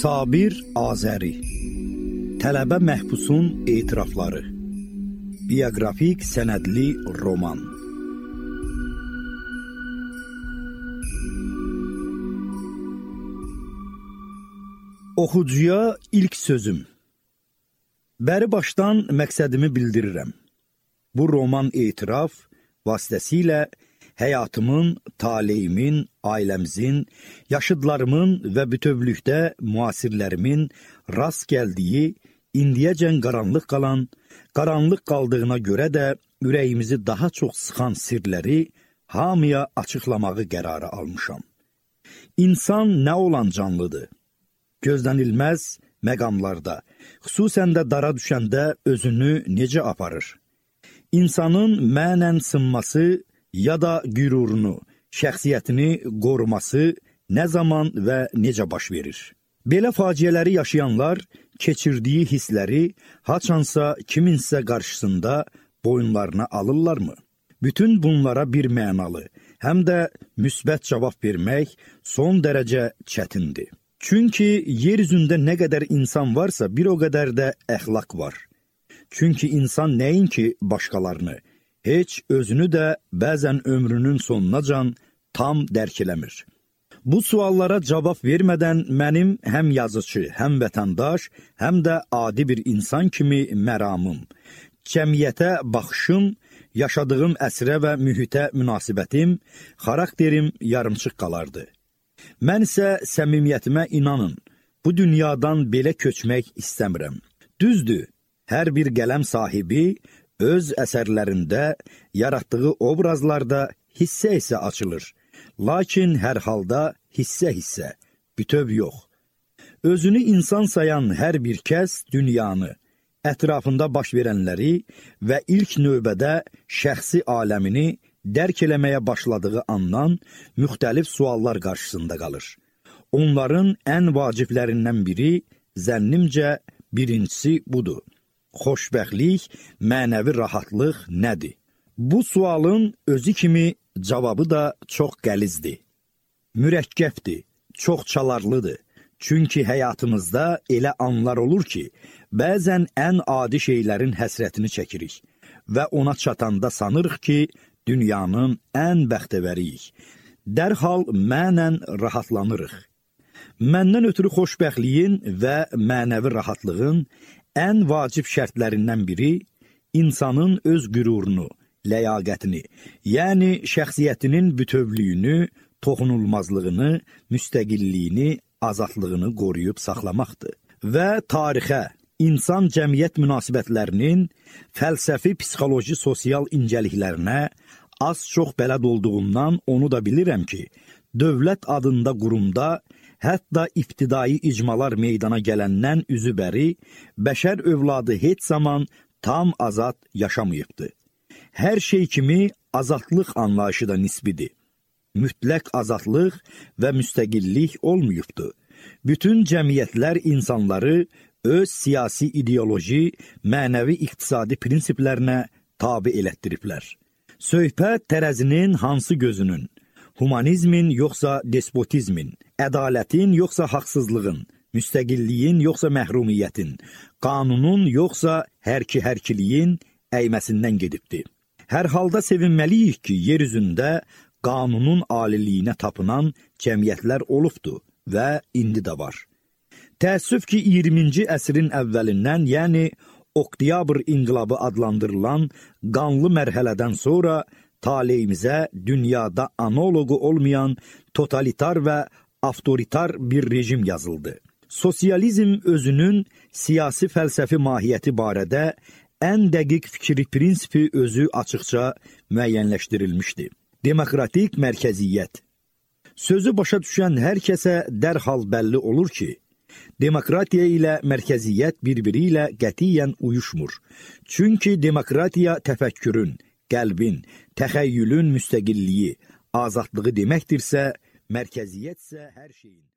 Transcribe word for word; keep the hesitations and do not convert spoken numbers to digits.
Sabir Azəri Tələbə məhbusun etirafları Bioqrafik sənədli roman Oxucuya ilk sözüm Bəri başdan məqsədimi bildirirəm. Bu roman etiraf vasitəsilə həyatımın, taleyimin, ailəmizin, yaşıdlarımın və bütövlükdə müasirlərimin rast gəldiyi, indiyəcən qaranlıq qalan, qaranlıq qaldığına görə də ürəyimizi daha çox sıxan sirləri hamıya açıqlamağı qərarı almışam. İnsan nə olan canlıdır? Gözlənilməz məqamlarda, xüsusən də dara düşəndə özünü necə aparır? İnsanın mənən sınması ya da qürurunu, şəxsiyyətini qoruması nə zaman və necə baş verir? Belə faciələri yaşayanlar keçirdiyi hissləri haçansa kiminsə qarşısında boyunlarına alırlarmı? Bütün bunlara bir mənalı, həm də müsbət cavab vermək son dərəcə çətindir. Çünki yer üzündə nə qədər insan varsa, bir o qədər də əxlaq var. Çünki insan nəinki başqalarını, heç özünü də bəzən ömrünün sonunacan tam dərk eləmir. Bu suallara cavab vermədən mənim həm yazıcı, həm vətəndaş, həm də adi bir insan kimi məramım, cəmiyyətə baxışım, yaşadığım əsrə və mühitə münasibətim, xarakterim yarımçıq qalardı. Mən isə səmimiyyətimə inanın, bu dünyadan belə köçmək istəmirəm. Düzdür, hər bir qələm sahibi öz əsərlərində, yaratdığı obrazlarda hissə-hissə açılır. Lakin hər halda hissə-hissə, bütöv yox. Özünü insan sayan hər bir kəs dünyanı, ətrafında baş verənləri və ilk növbədə şəxsi aləmini dərk eləməyə başladığı andan müxtəlif suallar qarşısında qalır. Onların ən vaciblərindən biri, zənnimcə, birincisi budur. Xoşbəxtlik, mənəvi rahatlıq nədir? Bu sualın özü kimi cavabı da çox qəlizdir. Mürəkkəbdir, çox çalarlıdır. Çünki həyatımızda elə anlar olur ki, bəzən ən adi şeylərin həsrətini çəkirik və ona çatanda sanırıq ki, dünyanın ən bəxtəvəriyik. Dərhal mənən rahatlanırıq. Məndən ötürü xoşbəxtliyin və mənəvi rahatlığın ən vacib şərtlərindən biri insanın öz qürurunu, ləyaqətini, yəni şəxsiyyətinin bütövlüyünü, toxunulmazlığını, müstəqilliyini, azadlığını qoruyub saxlamaqdır. Və tarixə, insan cəmiyyət münasibətlərinin fəlsəfi, psixoloji, sosial incəliklərinə az-çox bələd olduğumdan onu da bilirəm ki, dövlət adında qurumda hətta ibtidai icmalar meydana gələndən üzübəri, bəşər övladı heç zaman tam azad yaşamayıbdır. Hər şey kimi azadlıq anlayışı da nisbidir. Mütləq azadlıq və müstəqillik olmayıbdır. Bütün cəmiyyətlər insanları öz siyasi ideoloji, mənəvi iqtisadi prinsiplərinə tabi elətdiriblər. Söhbət tərəzinin hansı gözünün, humanizmin yoxsa despotizmin, ədalətin yoxsa haqsızlığın, müstəqilliyin yoxsa məhrumiyyətin, qanunun yoxsa hərki-hərkiliyin əyməsindən gedibdir. Hər halda sevinməliyik ki, yer üzündə qanunun aliliyinə tapınan cəmiyyətlər olubdur və indi də var. Təəssüf ki, iyirminci əsrin əvvəlindən, yəni Oktyabr inqilabı adlandırılan qanlı mərhələdən sonra taleyimizə dünyada analogu olmayan totalitar və avtoritar bir rejim yazıldı. Sosializm özünün siyasi fəlsəfi mahiyyəti barədə ən dəqiq fikri prinsipi özü açıqca müəyyənləşdirilmişdi. Demokratik mərkəziyyət. Sözü başa düşən hər kəsə dərhal bəlli olur ki, demokratiya ilə mərkəziyyət bir-biri ilə qətiyyən uyuşmur. Çünki demokratiya təfəkkürün, qəlbin, təxəyyülün müstəqilliyi, azadlığı deməkdirsə, mərkəziyyət isə hər şeyin.